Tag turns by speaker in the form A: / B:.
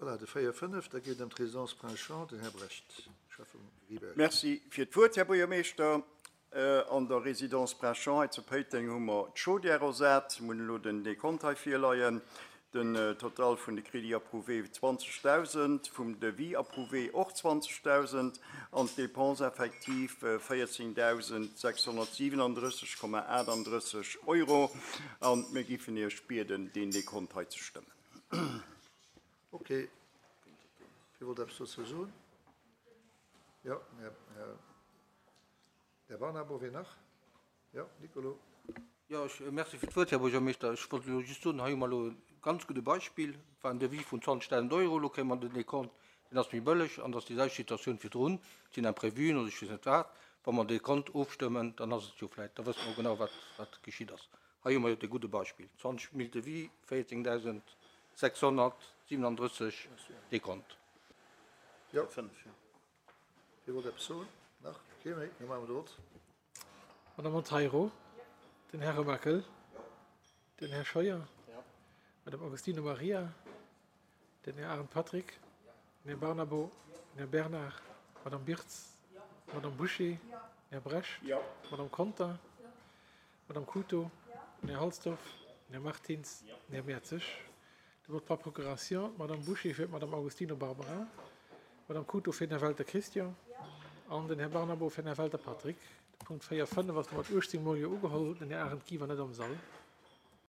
A: Voilà, de 4, 5, da geet et ëm d'Résidence Prince Jean. Den Här Brecht, Schäffe Riberg.
B: Merci fir d'Wuert, Här Buergermeeschter. An der Résidence Prince Jean hei zu Péiteng hu mer d'Chaudière ersat. Mir hunn elo den Dekont hei virleien. Den Total vun de Crédits approuvés 20.000, vum Devis approuvé och 20.000 an d'Dépenses effectives 14.637,38 Euro. A mir giffen Iech bieden, deen Dekont hei ze stëmmen.
A: Ok. Wie wollt eppes dozou soen? Jo, Här, Här Barnabo, wien nach? Jo, Nicolo.
C: Jo, ech, merci fir d'Wuert, Här Buergermeeschter. Ech wollt elo just soen, hei hu mer elo e ganz gudde Beispill. Et war en Devis vun 20.000 Euro, elo kréie mer den Dekont, deen ass méi bëlleg an et ass déi selwecht Situatioun virdrun, et sinn Imprévuen oder ech weess net wat. Wa mer de Dekont ofstëmmen, dann ass et jo vläicht, da wësse mer och genau, wat, wat geschitt ass. Hei hu mer jo de gudde Beispill, 20 mille Devis, 14.637 Dekont.
A: Jo. Wie wollt eppes soen? Nach kee méi? Da maache mer de Vott.
D: Madame Monteiro, den Här Remakel, den Här Scheuer, Madame Augustino Maria, den Här Arendt Patrick, den Här Barnabo, den Här Bernard, Madame Birtz, Madame Bouché, den Här Brecht, Madame Conter, Madame Couto, den Här Halsdorf, den Här Martins, den Här Mertzig. De Vote par procuration, d'Madame Bouché fir d'Madame Augustino Barbara, d'Madame Couto fir den Här Welter Christian an den Här Barnabo fir den Här Welter Patrick. De Punkt 4, 5 ass domat 18 mol Jo ugeholl. Den Här Arendt Guy war net am Sall.